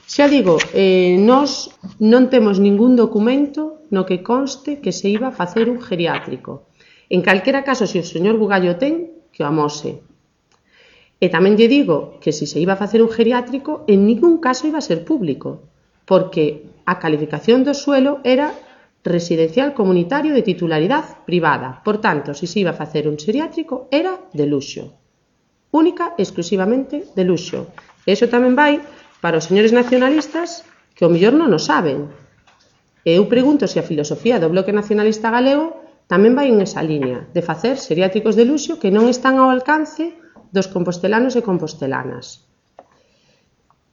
Xa digo, nós non temos ningún documento no que conste que se iba a facer un geriátrico. En calquera caso, se o señor Bugallo ten, que o amose. E tamén lle digo que se iba a facer un geriátrico, en ningún caso iba a ser público, porque a calificación do suelo era residencial comunitario de titularidade privada. Por tanto, se iba a facer un geriátrico, era de luxo. Única e exclusivamente de luxo. E iso tamén vai para os señores nacionalistas que ao mellor non o saben. E eu pregunto se a filosofía do Bloque Nacionalista Galego tamén vai en esa liña de facer xeriátricos de luxo que non están ao alcance dos compostelanos e compostelanas.